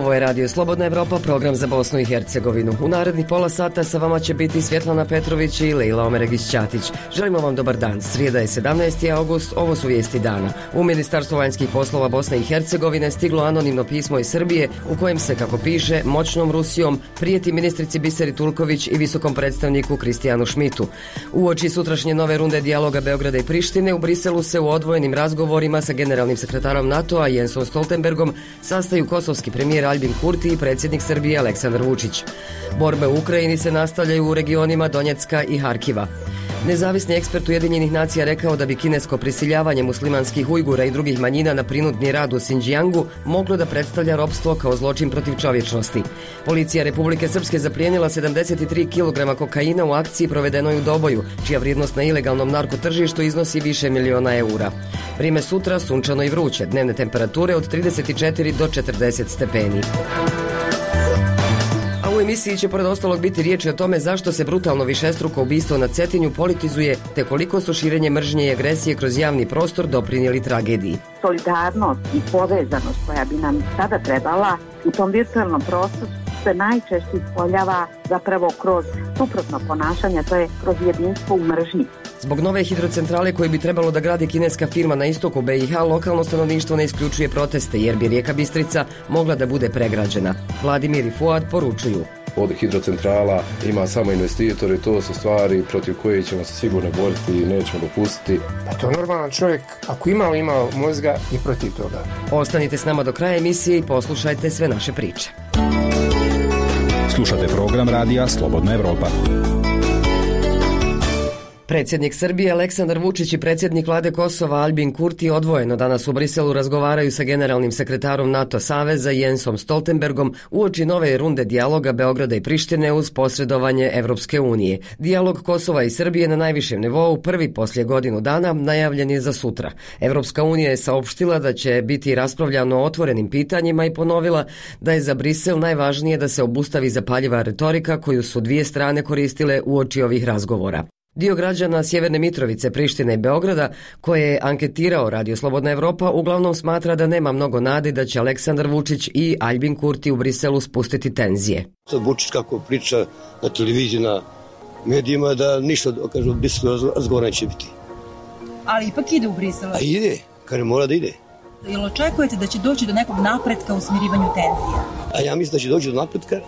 Ovo je Radio Slobodna Evropa, program za Bosnu i Hercegovinu. U narednih pola sata sa vama će biti Svjetlana Petrović i Lejla Omeregić-Ćatić. Želimo vam dobar dan. Srijeda je 17. august, ovo su vijesti dana. U Ministarstvo vanjskih poslova Bosne i Hercegovine stiglo anonimno pismo iz Srbije u kojem se, kako piše, moćnom Rusijom prijeti ministrici Biseri Tulković i visokom predstavniku Kristijanu Šmitu. Uoči sutrašnje nove runde dijaloga Beograda i Prištine, u Briselu se u odvojenim razgovorima sa generalnim sekretarom NATO-a Jensom Stoltenbergom sastaju kosovski premijer Aljbin Kurti i predsjednik Srbije Aleksandar Vučić. Borbe u Ukrajini se nastavljaju u regionima Donjecka i Harkiva. Nezavisni ekspert Ujedinjenih nacija rekao da bi kinesko prisiljavanje muslimanskih Ujgura i drugih manjina na prinudni rad u Xinjiangu moglo da predstavlja ropstvo kao zločin protiv čovječnosti. Policija Republike Srpske zaplijenila 73 kg kokaina u akciji provedenoj u Doboju, čija vrijednost na ilegalnom narkotržištu iznosi više miliona eura. Vrime sutra sunčano i vruće, dnevne temperature od 34 do 40 stepeni. U emisiji će pored ostalog biti riječi o tome zašto se brutalno višestruko ubistvo na Cetinju politizuje, te koliko su širenje mržnje i agresije kroz javni prostor doprinijeli tragediji. Solidarnost i povezanost koja bi nam sada trebala u tom virtualnom prostoru se najčešće ispoljava zapravo kroz suprotno ponašanje, to je kroz jedinstvo u mržnji. Zbog nove hidrocentrale koju bi trebalo da gradi kineska firma na istoku BiH, lokalno stanovništvo ne isključuje proteste jer bi rijeka Bistrica mogla da bude pregrađena. Vladimir i Fuad poručuju. Od hidrocentrala ima samo investitori, to su stvari protiv koje ćemo se sigurno boriti i nećemo dopustiti. Pa to normalan čovjek, ako imao mozga, i protiv toga. Ostanite s nama do kraja emisije i poslušajte sve naše priče. Slušate program Radija Slobodna Evropa. Predsjednik Srbije Aleksandar Vučić i predsjednik vlade Kosova Aljbin Kurti odvojeno danas u Briselu razgovaraju sa generalnim sekretarom NATO saveza Jensom Stoltenbergom uoči nove runde dijaloga Beograda i Prištine uz posredovanje Evropske unije. Dijalog Kosova i Srbije na najvišem nivou, prvi poslije godinu dana, najavljen je za sutra. Evropska unija je saopštila da će biti raspravljano o otvorenim pitanjima i ponovila da je za Brisel najvažnije da se obustavi zapaljiva retorika koju su dvije strane koristile uoči ovih razgovora. Dio građana Sjeverne Mitrovice, Prištine i Beograda, koje je anketirao Radio Slobodna Evropa, uglavnom smatra da nema mnogo nade da će Aleksandar Vučić i Aljbin Kurti u Briselu spustiti tenzije. Sad Vučić kako priča na televiziji, na medijima, da ništa, kažu, Briselu razgovora neće biti. Ali ipak ide u Briselu. A ide, kaže mora da ide. Jel očekujete da će doći do nekog napretka u smirivanju tenzija? A ja mislim da će doći do napretka,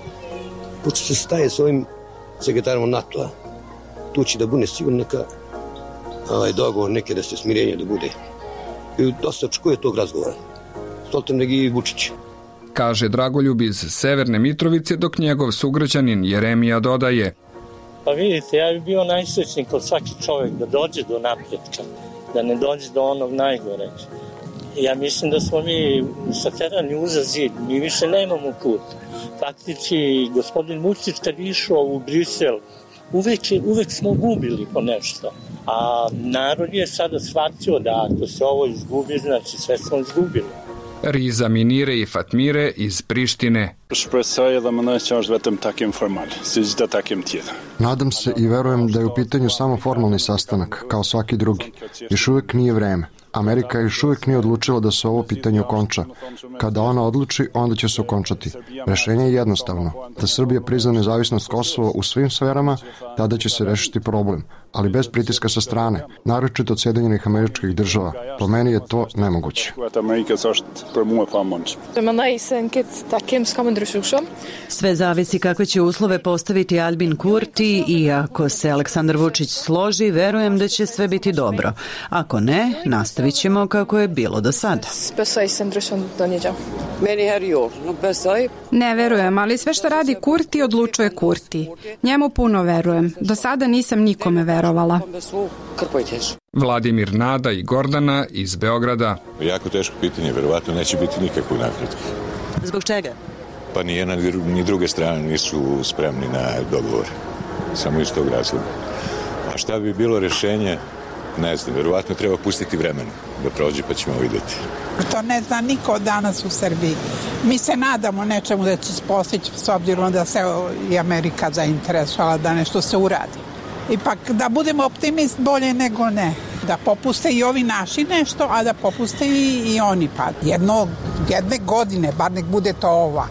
pošto se staje s ovim sekretarom NATO-a. Tu će da bude sigurno neka dogovor, neke da se smirenje da bude. I dosta očekuje tog razgovora. Stoltenberg i Vučić. Kaže Dragoljub iz Severne Mitrovice, dok njegov sugrađanin Jeremija dodaje. Pa vidite, ja bih bio najsrećniji kod svaki čovjek da dođe do napretka, da ne dođe do onog najgore. Ja mislim da smo mi saterani uza zid, mi više nemamo put. Faktički, gospodin Vučić kad je išao u Brisel, uvek smo gubili po nešto, a narod je sada shvatio da ako se ovo izgubi, znači sve smo izgubili. Riza Minire i Fatmire iz Prištine. Nadam se i verujem da je u pitanju samo formalni sastanak, kao svaki drugi. Još uvijek nije vreme. Amerika još uvijek nije odlučila da se ovo pitanje okonča. Kada ona odluči, onda će se okončati. Rešenje je jednostavno. Da Srbija prizna nezavisnost Kosova u svim sferama, tada će se rešiti problem. Ali bez pritiska sa strane, naročito od Sjedinjenih Američkih Država. Po meni je to nemoguće. Sve zavisi kakve će uslove postaviti Aljbin Kurti i ako se Aleksandar Vučić složi, verujem da će sve biti dobro. Ako ne, nastavit ćemo kako je bilo do sada. Ne verujem, ali sve što radi Kurti odlučuje Kurti. Njemu puno verujem. Do sada nisam nikome verovala. Vladimir, Nada i Gordana iz Beograda. Jako teško pitanje, verovatno neće biti nikakvog napretka. Zbog čega? Pa ni jedna ni druge strane nisu spremni na dogovor. Samo iz tog razloga. A šta bi bilo rješenje? Ne znam, verovatno treba pustiti vremena da prođe pa ćemo vidjeti. To ne zna niko danas u Srbiji. Mi se nadamo nečemu da će se postići s obzirom da se i Amerika zainteresovala da nešto se uradi. Ipak da budemo optimist bolje nego ne. Da popuste i ovi naši nešto, a da popuste i oni. Pa jedne godine, bar nek bude to ova.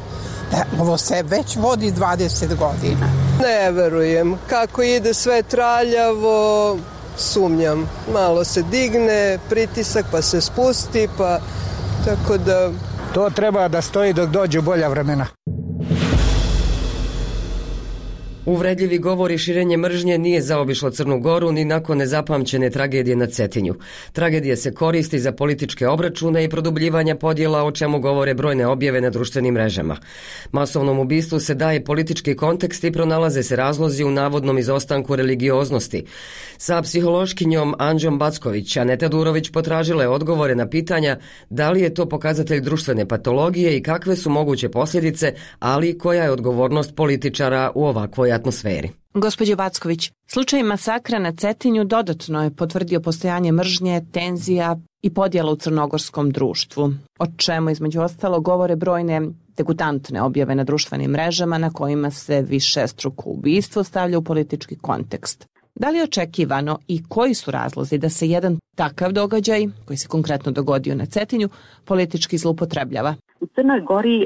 Da, ovo se već vodi 20 godina. Ne verujem. Kako ide sve traljavo, sumnjam. Malo se digne, pritisak pa se spusti, pa tako da... To treba da stoji dok dođu bolja vremena. Uvredljivi govor i širenje mržnje nije zaobišlo Crnu Goru ni nakon nezapamćene tragedije na Cetinju. Tragedija se koristi za političke obračune i produbljivanja podjela, o čemu govore brojne objave na društvenim mrežama. Masovnom ubistvu se daje politički kontekst i pronalaze se razlozi u navodnom izostanku religioznosti. Sa psihološkinjom Anđom Backović, Aneta Durović potražila je odgovore na pitanja da li je to pokazatelj društvene patologije i kakve su moguće posljedice, ali koja je odgovornost političara u ovakvoj atmosferi. Gospođo Backović, slučaj masakra na Cetinju dodatno je potvrdio postojanje mržnje, tenzija i podjela u crnogorskom društvu, o čemu između ostalo govore brojne degutantne objave na društvenim mrežama na kojima se višestruko ubistvo stavlja u politički kontekst. Da li je očekivano i koji su razlozi da se jedan takav događaj, koji se konkretno dogodio na Cetinju, politički zloupotrebljava? U Crnoj Gori,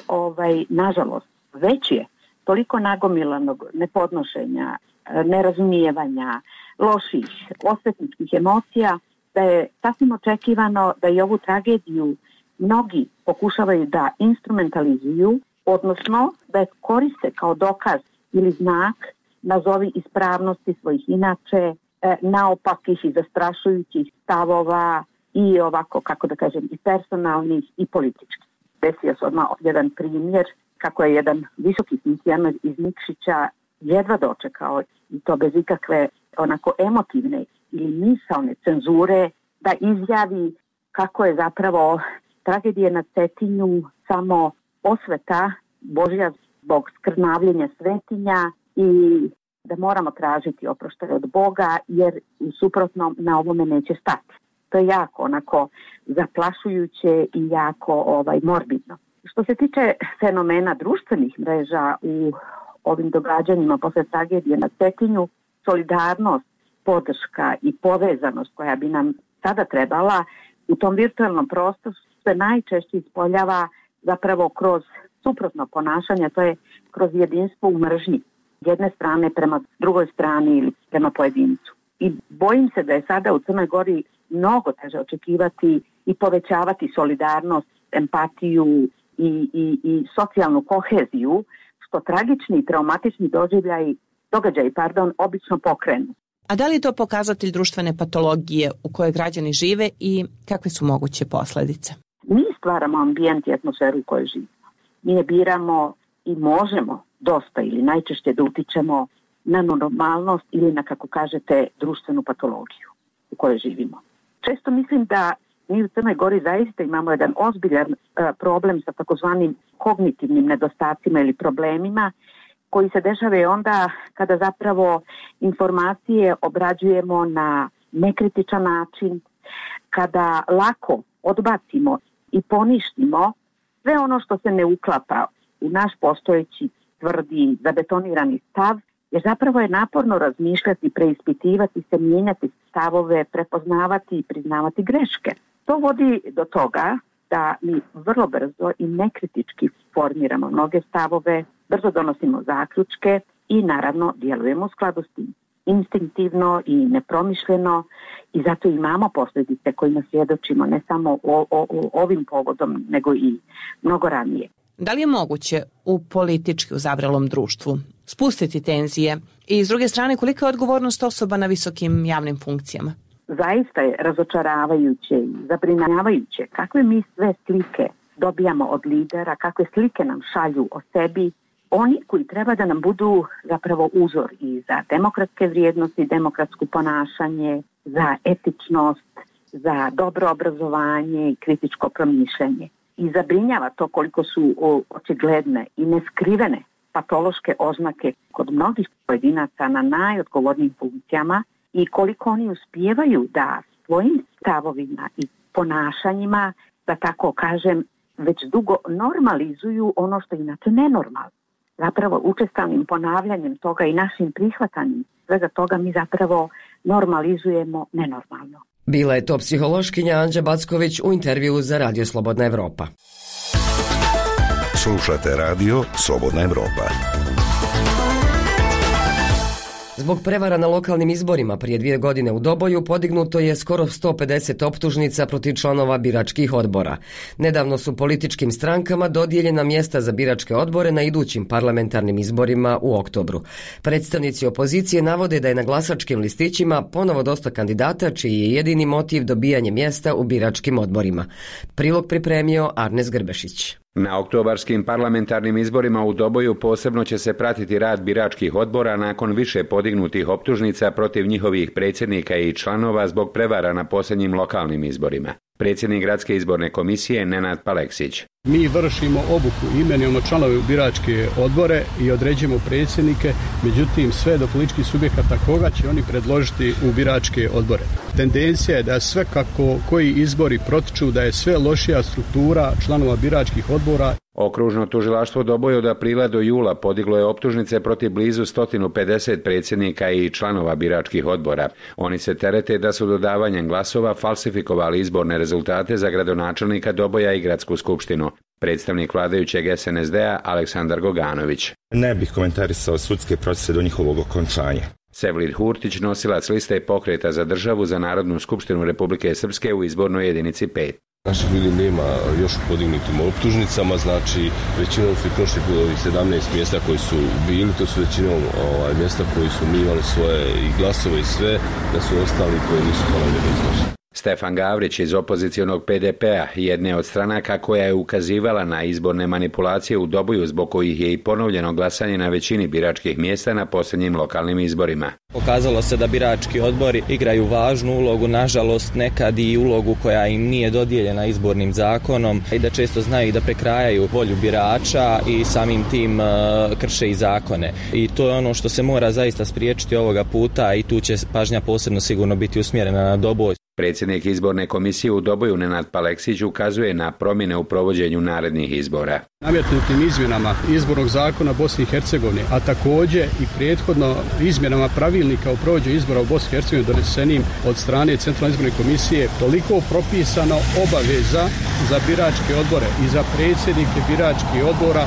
nažalost, već je toliko nagomilanog nepodnošenja, nerazumijevanja, loših, osvetničkih emocija, da je sasvim očekivano da i ovu tragediju mnogi pokušavaju da instrumentalizuju, odnosno da je koriste kao dokaz ili znak, nazovi ispravnosti svojih inače naopakih i zastrašujućih stavova i ovako, kako da kažem, i personalnih i političkih. Desio se odmah jedan primjer kako je jedan visoki funkcioner iz Nikšića jedva dočekao, i to bez ikakve onako emotivne ili misaone cenzure, da izjavi kako je zapravo tragedija na Cetinju samo osveta Božja zbog skrnavljenja svetinja i da moramo tražiti oproštaj od Boga jer u suprotnom na ovome neće stati. To je jako onako zaplašujuće i jako morbidno. Što se tiče fenomena društvenih mreža u ovim događanjima posle tragedije na Cetinju, solidarnost, podrška i povezanost koja bi nam sada trebala u tom virtualnom prostoru se najčešće ispoljava zapravo kroz suprotno ponašanje, to je kroz jedinstvo u mržnji. Jedne strane prema drugoj strani ili prema pojedincu. I bojim se da je sada u Crnoj Gori mnogo teže očekivati i povećavati solidarnost, empatiju i socijalnu koheziju, što tragični i traumatični događaji obično pokrenu. A da li je to pokazatelj društvene patologije u kojoj građani žive i kakve su moguće posljedice? Mi stvaramo ambijent i atmosferu u kojoj živimo. Mi je biramo i možemo dosta ili najčešće da utičemo na normalnost ili na, kako kažete, društvenu patologiju u kojoj živimo. Često mislim da mi u Crnoj Gori zaista imamo jedan ozbiljan problem sa takozvanim kognitivnim nedostacima ili problemima koji se dešavaju onda kada zapravo informacije obrađujemo na nekritičan način, kada lako odbacimo i poništimo sve ono što se ne uklapa u naš postojeći tvrdi, zabetonirani stav, jer zapravo je naporno razmišljati, preispitivati se, mijenjati stavove, prepoznavati i priznavati greške. To vodi do toga da mi vrlo brzo i nekritički formiramo mnoge stavove, brzo donosimo zaključke i naravno djelujemo u skladu s tim. Instinktivno i nepromišljeno i zato imamo posljedice kojima svjedočimo ne samo ovim povodom nego i mnogo ranije. Da li je moguće u politički uzavrelom društvu spustiti tenzije i s druge strane kolika je odgovornost osoba na visokim javnim funkcijama? Zaista je razočaravajuće i zabrinjavajuće kakve mi sve slike dobijamo od lidera, kakve slike nam šalju o sebi, oni koji treba da nam budu zapravo uzor i za demokratske vrijednosti, demokratsko ponašanje, za etičnost, za dobro obrazovanje i kritičko promišljanje. I zabrinjava to koliko su očigledne i neskrivene patološke oznake kod mnogih pojedinaca na najodgovornijim funkcijama i koliko oni uspijevaju da svojim stavovima i ponašanjima, da tako kažem, već dugo normalizuju ono što je inače nenormalno. Zapravo učestalim ponavljanjem toga i našim prihvatanjem svega toga mi zapravo normalizujemo nenormalno. Bila je to psihološkinja Anđa Backović u intervjuu za Radio Slobodna Evropa. Slušate radio Slobodna Evropa. Zbog prevara na lokalnim izborima prije 2 godine u Doboju podignuto je skoro 150 optužnica protiv članova biračkih odbora. Nedavno su političkim strankama dodijeljena mjesta za biračke odbore na idućim parlamentarnim izborima u oktobru. Predstavnici opozicije navode da je na glasačkim listićima ponovo dosta kandidata čiji je jedini motiv dobijanje mjesta u biračkim odborima. Prilog pripremio Arnes Grbešić. Na oktobarskim parlamentarnim izborima u Doboju posebno će se pratiti rad biračkih odbora nakon više podignutih optužnica protiv njihovih predsjednika i članova zbog prevara na posljednjim lokalnim izborima. Predsjednik Gradske izborne komisije Nenad Paleksić. Mi vršimo obuku, imenujemo članove u biračke odbore i određujemo predsjednike, međutim sve do političkih subjekata koga će oni predložiti u biračke odbore. Tendencija je da sve kako koji izbori protiču, da je sve lošija struktura članova biračkih odbora. Okružno tužilaštvo u Doboju od aprila do jula podiglo je optužnice protiv blizu 150 predsjednika i članova biračkih odbora. Oni se terete da su dodavanjem glasova falsifikovali izborne rezultate za gradonačelnika Doboja i gradsku skupštinu. Predstavnik vladajućeg SNSD-a Aleksandar Goganović. Ne bih komentarisao sudske procese do njihovog okončanja. Sevlid Hurtić, nosilac liste Pokreta za državu za Narodnu skupštinu Republike Srpske u izbornoj jedinici 5. Naših ljudi nema još podignutim optužnicama, znači većinom su prošli ovih 17 mjesta koji su bili, to su većinom mjesta koji su mi imali svoje i glasove i sve, da su ostali koji nisu ponovljeni izlaži. Stefan Gavrić iz opozicionog PDP-a, jedne od stranaka koja je ukazivala na izborne manipulacije u Doboju zbog kojih je i ponovljeno glasanje na većini biračkih mjesta na posljednjim lokalnim izborima. Pokazalo se da birački odbori igraju važnu ulogu, nažalost nekad i ulogu koja im nije dodijeljena izbornim zakonom i da često znaju da prekrajaju volju birača i samim tim krše i zakone. I to je ono što se mora zaista spriječiti ovoga puta i tu će pažnja posebno sigurno biti usmjerena na Doboj. Predsjednik izborne komisije u Doboju Nenad Paleksić ukazuje na promjene u provođenju narednih izbora. Nametnutim izmjenama izbornog zakona Bosne i Hercegovine, a također i prethodno izmjenama pravilnika o provođenju izbora u Bosni i Hercegovini donesenim od strane Centralne izborne komisije, toliko propisano obaveza za biračke odbore i za predsjednike biračkih odbora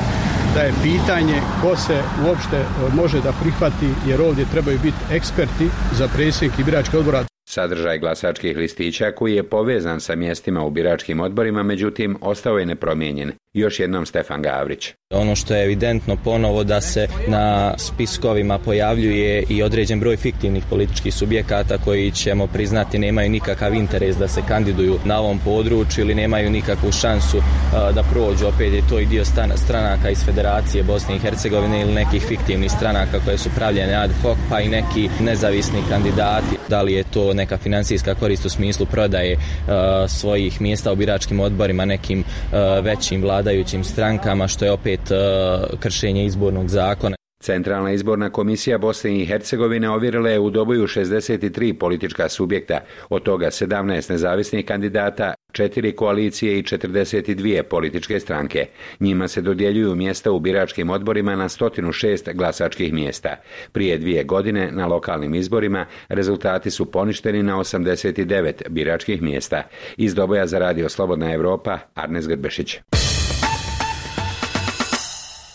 da je pitanje ko se uopšte može da prihvati, jer ovdje trebaju biti eksperti za predsjednike biračkih odbora. Sadržaj glasačkih listića koji je povezan sa mjestima u biračkim odborima, međutim, ostao je nepromijenjen. Još jednom Stefan Gavrić. Ono što je evidentno ponovo da se na spiskovima pojavljuje i određen broj fiktivnih političkih subjekata koji ćemo priznati nemaju nikakav interes da se kandiduju na ovom području ili nemaju nikakvu šansu da prođu. Opet je to i dio stranaka iz Federacije Bosne i Hercegovine ili nekih fiktivnih stranaka koje su pravljene ad hoc, pa i neki nezavisni kandidati. Da li je to neka financijska korist u smislu prodaje svojih mjesta u biračkim odborima nekim većim vladajućim strankama, što je opet kršenje izbornog zakona. Centralna izborna komisija Bosne i Hercegovine ovjerila je u Doboju 63 politička subjekta, od toga 17 nezavisnih kandidata, 4 koalicije i 42 političke stranke. Njima se dodjeljuju mjesta u biračkim odborima na 106 glasačkih mjesta. Prije 2 godine na lokalnim izborima rezultati su poništeni na 89 biračkih mjesta. Iz Doboja za radio Slobodna Evropa, Arnes Grbešić.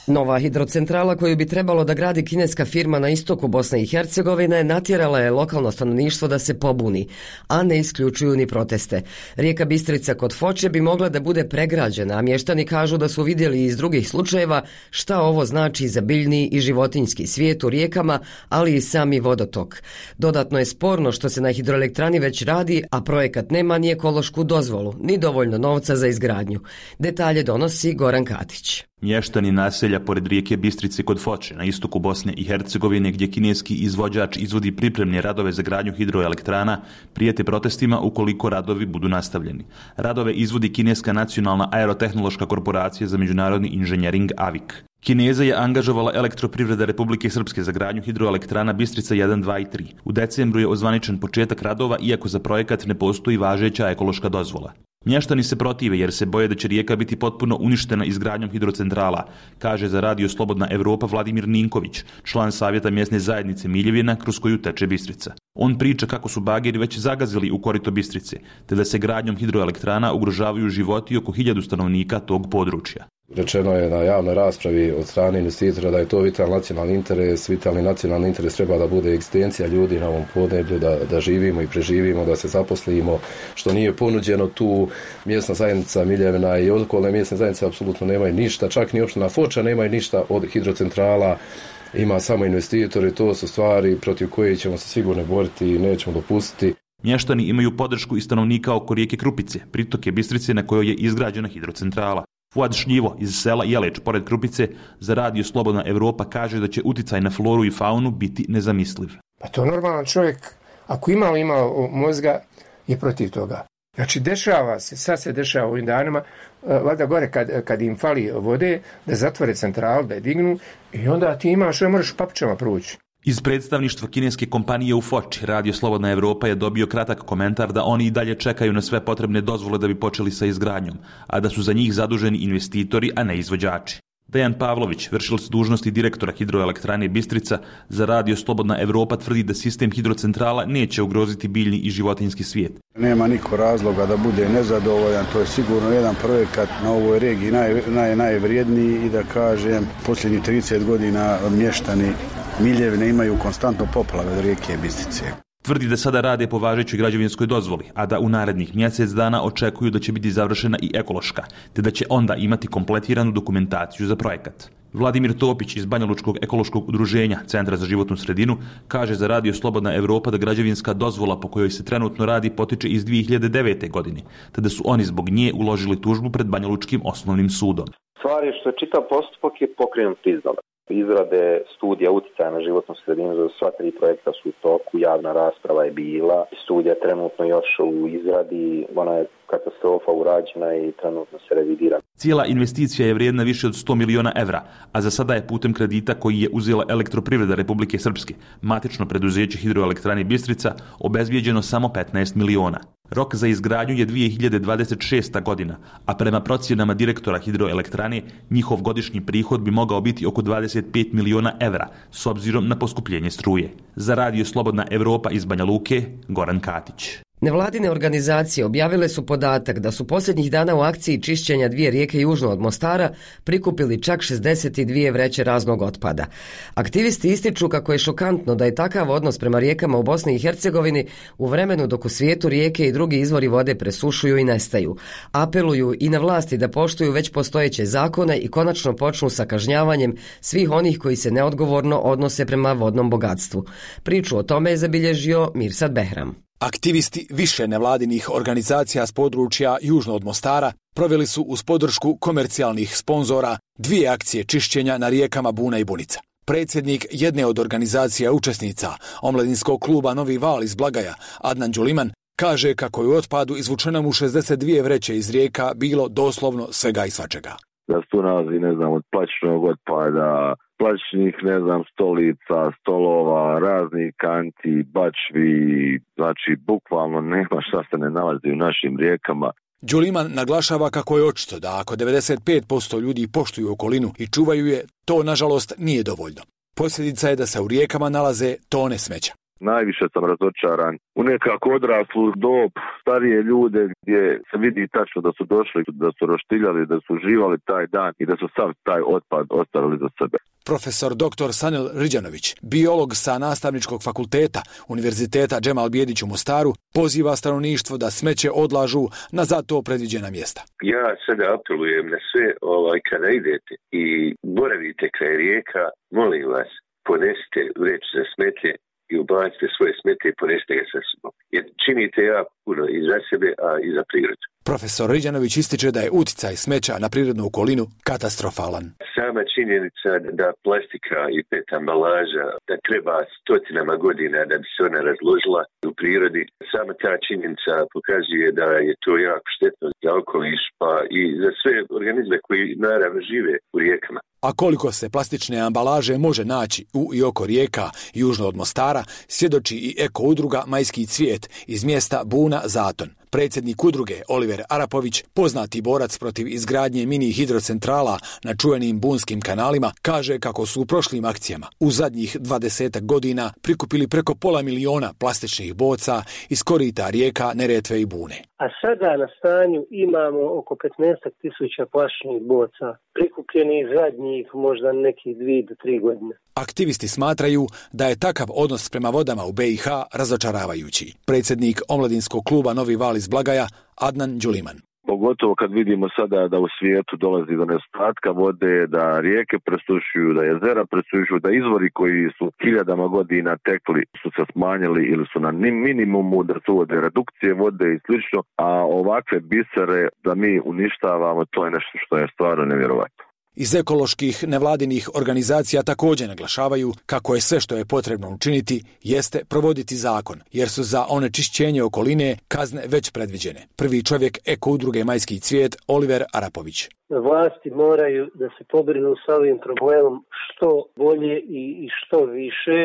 Nova hidrocentrala koju bi trebalo da gradi kineska firma na istoku Bosne i Hercegovine natjerala je lokalno stanovništvo da se pobuni, a ne isključuju ni proteste. Rijeka Bistrica kod Foče bi mogla da bude pregrađena, a mještani kažu da su vidjeli iz drugih slučajeva šta ovo znači za biljni i životinjski svijet u rijekama, ali i sami vodotok. Dodatno je sporno što se na hidroelektrani već radi, a projekat nema ni ekološku dozvolu, ni dovoljno novca za izgradnju. Detalje donosi Goran Katić. Mještani naselja pored rijeke Bistrice kod Foče na istoku Bosne i Hercegovine, gdje kineski izvođač izvodi pripremne radove za gradnju hidroelektrana, prijete protestima ukoliko radovi budu nastavljeni. Radove izvodi kineska nacionalna aerotehnološka korporacija za međunarodni inženjering AVIK. Kineza je angažovala Elektroprivreda Republike Srpske za gradnju hidroelektrana Bistrica 1, 2 i 3. U decembru je ozvaničen početak radova, iako za projekat ne postoji važeća ekološka dozvola. Mještani se protive jer se boje da će rijeka biti potpuno uništena izgradnjom hidrocentrala, kaže za radio Slobodna Evropa Vladimir Ninković, član savjeta mjesne zajednice Miljevina kroz koju teče Bistrica. On priča kako su bageri već zagazili u korito Bistrice, te da se gradnjom hidroelektrana ugrožavaju životi oko 1000 stanovnika tog područja. Rečeno je na javnoj raspravi od strane investitora da je to vitalni nacionalni interes. Vitalni nacionalni interes treba da bude egzistencija ljudi na ovom podneblju, da živimo i preživimo, da se zaposlimo, što nije ponuđeno tu. Mjesna zajednica Miljevina i okolne mjesne zajednice apsolutno nemaju ništa, čak ni opština Foča nemaju ništa od hidrocentrala. Ima samo investitori, to su stvari protiv koje ćemo se sigurno boriti i nećemo dopustiti. Mještani imaju podršku i stanovnika oko rijeke Krupice, pritoke Bistrice na kojoj je izgrađena hidrocentrala. Fuad Šljivo iz sela Jeleč pored Krupice za radio Slobodna Evropa kaže da će uticaj na floru i faunu biti nezamisliv. Pa to normalan čovjek, ako ima mozga, je protiv toga. Znači dešava se, sad se dešava u ovim danima, valjda gore kad im fali vode, da zatvore centralu, da je dignu i onda ti imaš, možeš papučama proći. Iz predstavništva kineske kompanije u Foči, radio Slobodna Evropa je dobio kratak komentar da oni i dalje čekaju na sve potrebne dozvole da bi počeli sa izgradnjom, a da su za njih zaduženi investitori, a ne izvođači. Dejan Pavlović, vršilac dužnosti direktora hidroelektrane Bistrica, za radio Slobodna Evropa tvrdi da sistem hidrocentrala neće ugroziti biljni i životinjski svijet. Nema niko razloga da bude nezadovoljan, to je sigurno jedan projekat na ovoj regiji najvrijedniji i da kažem, posljednjih 30 godina mještani Miljevine imaju konstantno poplave od rijeke Bistrice. Tvrdi da sada rade po važećoj građevinskoj dozvoli, a da u narednih mjesec dana očekuju da će biti završena i ekološka, te da će onda imati kompletiranu dokumentaciju za projekat. Vladimir Topić iz Banjalučkog ekološkog udruženja Centra za životnu sredinu kaže za radio Slobodna Evropa da građevinska dozvola po kojoj se trenutno radi potiče iz 2009. godine, te da su oni zbog nje uložili tužbu pred Banjalučkim osnovnim sudom. Stvar je što je čitav postupak je pokrenut iznova. Izrade studija uticaja na životnu sredinu za sva 3 projekta su u toku, javna rasprava je bila, studija trenutno još u izradi, ona je katastrofa urađena i trenutno se revidira. Cijela investicija je vrijedna više od 100 miliona evra, a za sada je putem kredita koji je uzela Elektroprivreda Republike Srpske, matično preduzeće hidroelektrane Bistrica, obezbijeđeno samo 15 miliona. Rok za izgradnju je 2026. godina, a prema procjenama direktora hidroelektrane, njihov godišnji prihod bi mogao biti oko 25 miliona evra, s obzirom na poskupljenje struje. Za radio Slobodna Evropa iz Banja Luke, Goran Katić. Nevladine organizacije objavile su podatak da su posljednjih dana u akciji čišćenja 2 rijeke južno od Mostara prikupili čak 62 vreće raznog otpada. Aktivisti ističu kako je šokantno da je takav odnos prema rijekama u Bosni i Hercegovini u vremenu dok u svijetu rijeke i drugi izvori vode presušuju i nestaju. Apeluju i na vlasti da poštuju već postojeće zakone i konačno počnu sa kažnjavanjem svih onih koji se neodgovorno odnose prema vodnom bogatstvu. Priču o tome je zabilježio Mirsad Behram. Aktivisti više nevladinih organizacija s područja južno od Mostara proveli su uz podršku komercijalnih sponzora 2 akcije čišćenja na rijekama Buna i Bunica. Predsjednik jedne od organizacija učesnica, omladinskog kluba Novi Val iz Blagaja, Adnan Đuliman, kaže kako je u otpadu izvučeno mu 62 vreće iz rijeka bilo doslovno svega i svačega. Da se tu nalazi, od plastičnog otpada, plastičnih, stolica, stolova, raznih kanti, bačvi, znači bukvalno nema šta se ne nalazi u našim rijekama. Đuliman naglašava kako je očito da ako 95% ljudi poštuju okolinu i čuvaju je, to nažalost nije dovoljno. Posljedica je da se u rijekama nalaze tone smeća. Najviše sam razočaran u nekako odraslu dob, starije ljude gdje se vidi tačno da su došli, da su roštiljali, da su uživali taj dan i da su sav taj otpad ostavili za sebe. Profesor dr. Sanil Riđanović, biolog sa Nastavničkog fakulteta Univerziteta Džemal Bijedić u Mostaru, poziva stanovništvo da smeće odlažu na za to predviđena mjesta. Ja sada apelujem na sve kada idete i boravite kraj rijeka, molim vas, ponesite vreću za smeće i ubacite svoje smete i ponesite ga sa sobom. Jer činite puno i za sebe, a i za prirodu. Profesor Riđanović ističe da je uticaj smeća na prirodnu okolinu katastrofalan. Sama činjenica da plastika i PET ambalaža da treba stotinama godina da bi se ona razložila u prirodi, sama ta činjenica pokazuje da je to jako štetno za okoliš pa i za sve organizme koji naravno žive u rijekama. A koliko se plastične ambalaže može naći u i oko rijeka južno od Mostara, svjedoči i eko udruga Majski cvijet iz mjesta Buna Zaton. Predsjednik udruge Oliver Arapović, poznati borac protiv izgradnje mini hidrocentrala na čuvenim bunskim kanalima, kaže kako su u prošlim akcijama u zadnjih 20 godina prikupili preko 500 000 plastičnih boca iz korita rijeka Neretve i Bune. A sada na stanju imamo oko 15.000 plastičnih boca, prikupljenih zadnjih možda nekih 2 do 3 godine. Aktivisti smatraju da je takav odnos prema vodama u BiH razočaravajući. Predsjednik omladinskog kluba Novi val iz Blagaja, Adnan Đuliman. Pogotovo kad vidimo sada da u svijetu dolazi do nedostatka vode, da rijeke presušuju, da jezera presušuju, da izvori koji su hiljadama godina tekli su se smanjili ili su na minimumu, da su uvode redukcije vode i slično, a ovakve bisere da mi uništavamo, to je nešto što je stvarno nevjerovatno. Iz ekoloških nevladinih organizacija također naglašavaju kako je sve što je potrebno učiniti jeste provoditi zakon, jer su za onečišćenje okoline kazne već predviđene. Prvi čovjek eko udruge Majski cvijet, Oliver Arapović. Vlasti moraju da se pobrinu sa ovim problemom što bolje i što više,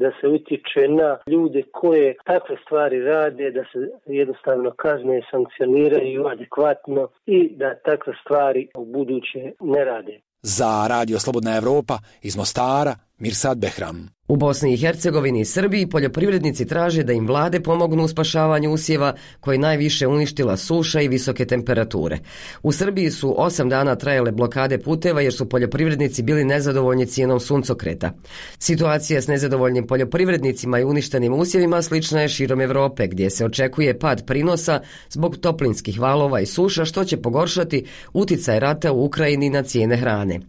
da se utječe na ljude koje takve stvari rade, da se jednostavno kazne sankcioniraju adekvatno i da takve stvari u buduće ne rade. Za Radio Slobodna Evropa iz Mostara, Mirsad Behram. U Bosni i Hercegovini i Srbiji poljoprivrednici traže da im vlade pomognu u spašavanju usjeva koji najviše uništila suša i visoke temperature. U Srbiji su 8 dana trajale blokade puteva jer su poljoprivrednici bili nezadovoljni cijenom suncokreta. Situacija s nezadovoljnim poljoprivrednicima i uništenim usjevima slična je širom Evrope, gdje se očekuje pad prinosa zbog toplinskih valova i suša, što će pogoršati uticaj rata u Ukrajini na cijene hrane.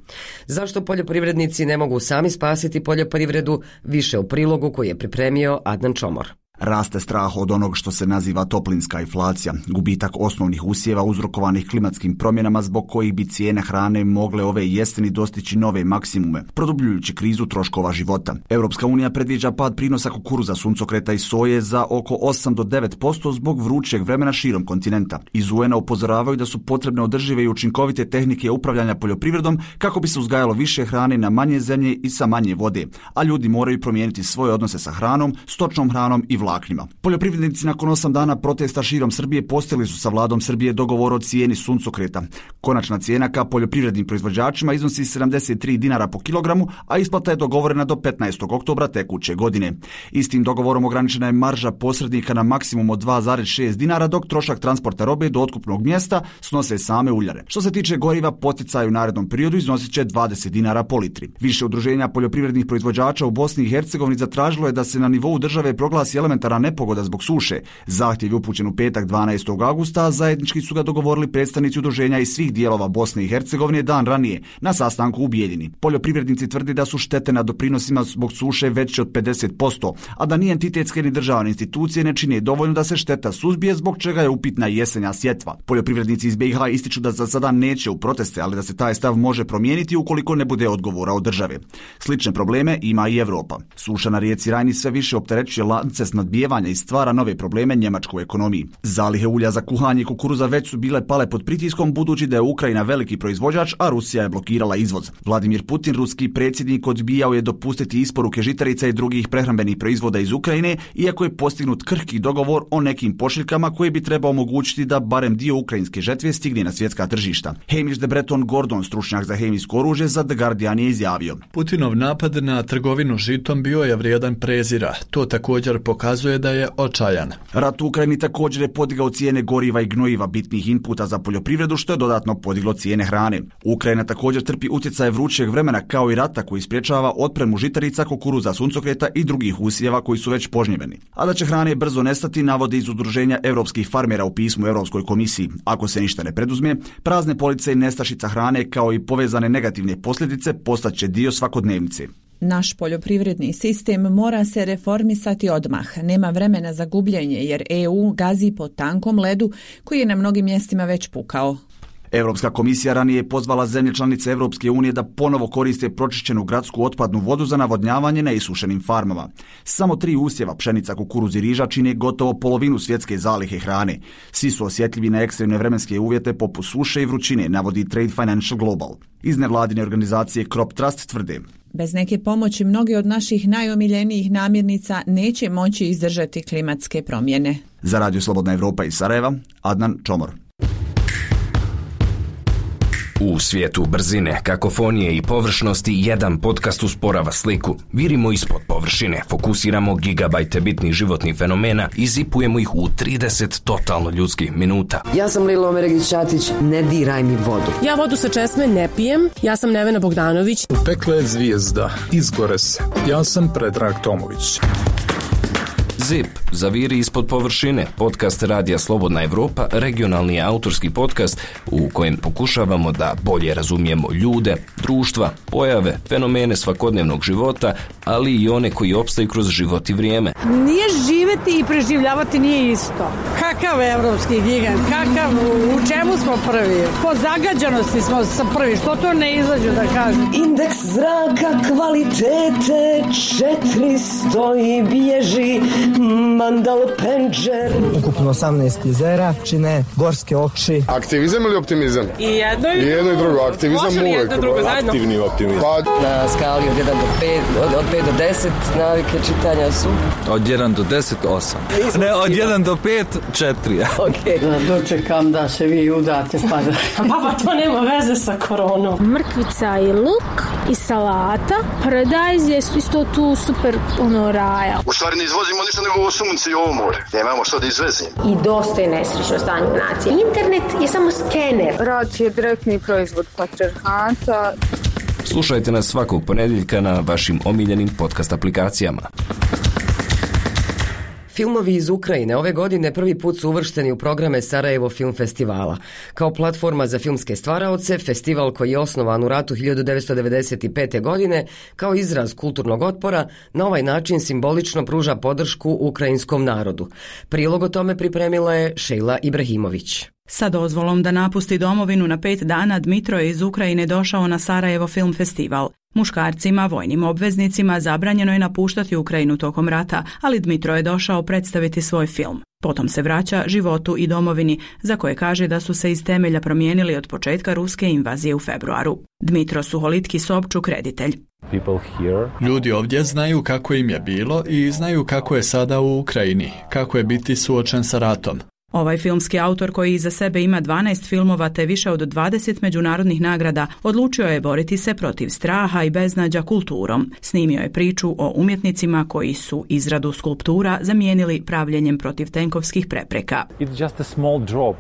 Zašto poljoprivrednici ne mogu sami spasiti poljoprivredu? Više u prilogu koji je pripremio Adnan Čomor. Raste strah od onog što se naziva toplinska inflacija, gubitak osnovnih usjeva uzrokovanih klimatskim promjenama zbog kojih bi cijene hrane mogle ove jeseni dostići nove maksimume, produbljujući krizu troškova života. Europska unija predviđa pad prinosa kukuruza, suncokreta i soje za oko 8 do 9% zbog vrućeg vremena širom kontinenta. Iz UN-a upozoravaju da su potrebne održive i učinkovite tehnike upravljanja poljoprivredom kako bi se uzgajalo više hrane na manje zemlje i sa manje vode, a ljudi moraju promijeniti svoje odnose sa hranom, stočnom hranom i vlaknima. Poljoprivrednici nakon 8 dana protesta širom Srbije postigli su sa vladom Srbije dogovor o cijeni suncokreta. Konačna cijena ka poljoprivrednim proizvođačima iznosi 73 dinara po kilogramu, a isplata je dogovorena do 15. oktobra tekuće godine. Istim dogovorom ograničena je marža posrednika na maksimum od 2,6 dinara, dok trošak transporta robe do otkupnog mjesta snose same uljare. Što se tiče goriva, poticaj u narednom periodu iznosit će 20 dinara po litri. Više udruženja poljoprivrednih proizvođača u Bosni i Hercegovini zatražilo je da se na nivou države proglasi elementarna nepogoda zbog suše. Zahtjev je upućen u petak 12. augusta, a zajednički su ga dogovorili predstavnici udruženja iz svih dijelova Bosne i Hercegovine dan ranije na sastanku u Bijeljini. Poljoprivrednici tvrdi da su štete na doprinosima zbog suše veće od 50%, a da ni entitetske ni državne institucije ne čine dovoljno da se šteta suzbije, zbog čega je upitna jesenja sjetva. Poljoprivrednici iz BiH ističu da za sada neće u proteste, ali da se taj stav može promijeniti ukoliko ne bude odgovora od države. Slične probleme ima i Evropa. Suša na rijeci Rajni sve više opterećuje lance snadbijevanja i stvara nove probleme njemačkoj ekonomiji. Zalihe ulja za kuhanje kukuruza već su bile pale pod pritiskom, budući da je Ukrajina veliki proizvođač, a Rusija je blokirala izvoz. Vladimir Putin, ruski predsjednik, odbijao je dopustiti isporuke žitarica i drugih prehrambenih proizvoda iz Ukrajine, iako je postignut krhki dogovor o nekim pošiljkama koji bi trebao omogućiti da barem dio ukrajinske žetve stigne na svjetska tržišta. Hamish de Breton Gordon, stručnjak za hemijsko oružje, za The Guardian je izjavio: Putinov napad na trgovinu žitom bio je vrijedan prezira. To također pokazuje da je očajan. Rat u Ukrajini također je podigao cijene goriva i gnojiva, bitnih inputa za poljoprivredu, što je dodatno podiglo cijene hrane. Ukrajina također trpi utjecaj vrućeg vremena, kao i rata koji sprječava otpremu žitarica, kukuruza, suncokreta i drugih usjeva koji su već požnjeveni. A da će hrane brzo nestati, navode iz udruženja europskih farmera u pismu Europskoj komisiji. Ako se ništa ne preduzme, prazne police i nestašica hrane, kao i povezane negativne posljedice, postaće dio svakodnevnice. Naš poljoprivredni sistem mora se reformisati odmah. Nema vremena za gubljenje jer EU gazi po tankom ledu koji je na mnogim mjestima već pukao. Europska komisija ranije je pozvala zemlje članice Europske unije da ponovo koriste pročišćenu gradsku otpadnu vodu za navodnjavanje na isušenim farmama. Samo 3 usjeva pšenica, kukuruz i riža čine gotovo polovinu svjetske zalihe hrane. Svi su osjetljivi na ekstremne vremenske uvjete poput suše i vrućine, navodi Trade Financial Global. Iz nevladine organizacije Crop Trust tvrde: bez neke pomoći mnogi od naših najomiljenijih namirnica neće moći izdržati klimatske promjene. Za Radio Slobodna Evropa iz Sarajeva, Adnan Čomor. U svijetu brzine, kakofonije i površnosti jedan podcast usporava sliku. Virimo ispod površine, fokusiramo gigabajte bitnih životnih fenomena i zipujemo ih u 30 totalno ljudskih minuta. Ja sam Lila Omeregić-Ćatić, ne diraj mi vodu. Ja vodu sa česme ne pijem, ja sam Nevena Bogdanović. Pekla je zvijezda, izgore se. Ja sam Predrag Tomović. ZIP, zaviri ispod površine, podcast Radija Slobodna Evropa, regionalni autorski podcast u kojem pokušavamo da bolje razumijemo ljude, društva, pojave, fenomene svakodnevnog života, ali i one koji opstaju kroz život i vrijeme. Nije živjeti i preživljavati nije isto. Kakav evropski gigant, kakav, u čemu smo prvi? Po zagađanosti smo prvi, što to ne izađu da kažu? Indeks zraka kvalitete 400 i bježi Mandal Penđer. Ukupno 18 jezera čine gorske oči. Aktivizam ili optimizam? I jedno i drugo. Aktivizam uvijek. Aktivni optimizam. Na skali od 1 do 5, od 5 do 10 navike čitanja su? Od 1 do 10, 8. Ne, od 1 do 5, 4. Okay. Dočekam da se vi udate pa da... Baba, to nema veze sa koronom. Mrkvica i luk i salata. Paradajz je isto tu super raja. U stvari ne izvozimo ništa nego ovo sunce i ovo more. Nemamo što da izvezimo. I dosta je nesrećno stanje nacije. Internet je samo skener. Rat je direktni proizvod patrijarhata. Slušajte nas svakog ponedjeljka na vašim omiljenim podcast aplikacijama. Filmovi iz Ukrajine ove godine prvi put su uvršteni u programe Sarajevo Film Festivala. Kao platforma za filmske stvaraoce, festival koji je osnovan u ratu 1995. godine kao izraz kulturnog otpora, na ovaj način simbolično pruža podršku ukrajinskom narodu. Prilog o tome pripremila je Šejla Ibrahimović. Sa dozvolom da napusti domovinu na 5 dana, Dmitro je iz Ukrajine došao na Sarajevo Film Festival. Muškarcima, vojnim obveznicima zabranjeno je napuštati Ukrajinu tokom rata, ali Dmitro je došao predstaviti svoj film. Potom se vraća životu i domovini, za koje kaže da su se iz temelja promijenili od početka ruske invazije u februaru. Dmitro Suholitki Sobčuk, reditelj. Ljudi ovdje znaju kako im je bilo i znaju kako je sada u Ukrajini, kako je biti suočen sa ratom. Ovaj filmski autor, koji iza sebe ima 12 filmova te više od 20 međunarodnih nagrada, odlučio je boriti se protiv straha i beznađa kulturom. Snimio je priču o umjetnicima koji su izradu skulptura zamijenili pravljenjem protiv tenkovskih prepreka.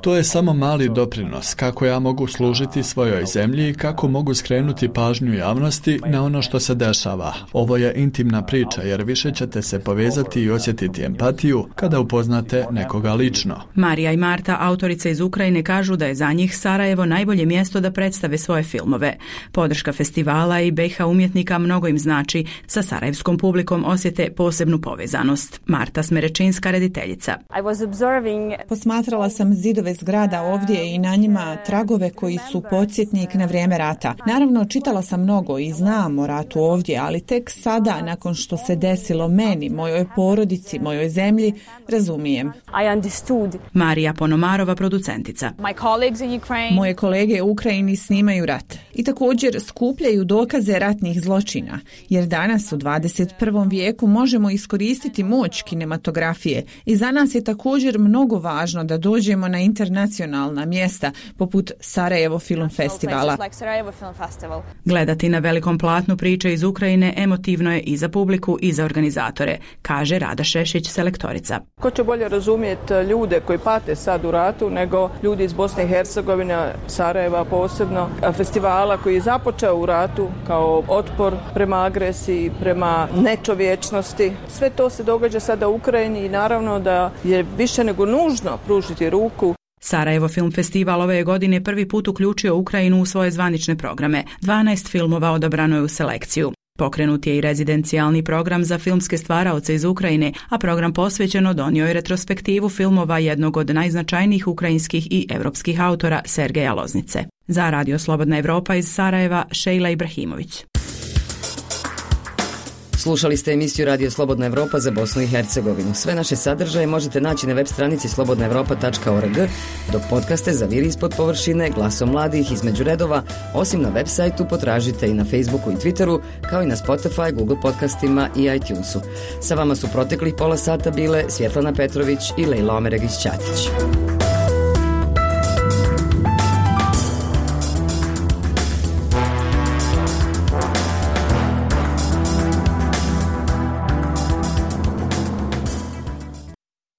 To je samo mali doprinos kako ja mogu služiti svojoj zemlji i kako mogu skrenuti pažnju javnosti na ono što se dešava. Ovo je intimna priča jer više ćete se povezati i osjetiti empatiju kada upoznate nekoga lično. Marija i Marta, autorice iz Ukrajine, kažu da je za njih Sarajevo najbolje mjesto da predstave svoje filmove. Podrška festivala i BiH umjetnika mnogo im znači. Sa sarajevskom publikom osjete posebnu povezanost. Marta Smerečinska, rediteljica. Posmatrala sam zidove zgrada ovdje i na njima tragove koji su podsjetnik na vrijeme rata. Naravno, čitala sam mnogo i znam o ratu ovdje, ali tek sada, nakon što se desilo meni, mojoj porodici, mojoj zemlji, razumijem. Marija Ponomarova, producentica. Moje kolege u Ukrajini snimaju rat i također skupljaju dokaze ratnih zločina, jer danas u 21. vijeku možemo iskoristiti moć kinematografije i za nas je također mnogo važno da dođemo na internacionalna mjesta poput Sarajevo Film Festivala. Gledati na velikom platnu priče iz Ukrajine emotivno je i za publiku i za organizatore, kaže Rada Šešić, selektorica. Ko će bolje razumjeti ljude koji pate sad u ratu nego ljudi iz Bosne i Hercegovine, Sarajeva posebno, festivala koji je započeo u ratu kao otpor prema agresiji, prema nečovječnosti. Sve to se događa sada u Ukrajini i naravno da je više nego nužno pružiti ruku. Sarajevo Film Festival ove godine prvi put uključio Ukrajinu u svoje zvanične programe. 12 filmova odabrano je u selekciju. Pokrenut je i rezidencijalni program za filmske stvaraoce iz Ukrajine, a program posvećeno donio je retrospektivu filmova jednog od najznačajnijih ukrajinskih i evropskih autora Sergeja Loznice. Za Radio Slobodna Evropa iz Sarajeva, Šejla Ibrahimović. Slušali ste emisiju Radio Slobodna Evropa za Bosnu i Hercegovinu. Sve naše sadržaje možete naći na web stranici slobodnaevropa.org, dok podcaste za Vir ispod površine, Glasom mladih, Između redova, osim na web sajtu potražite i na Facebooku i Twitteru, kao i na Spotify, Google podcastima i iTunesu. Sa vama su proteklih pola sata bile Svjetlana Petrović i Lejla Omeregić-Ćatić.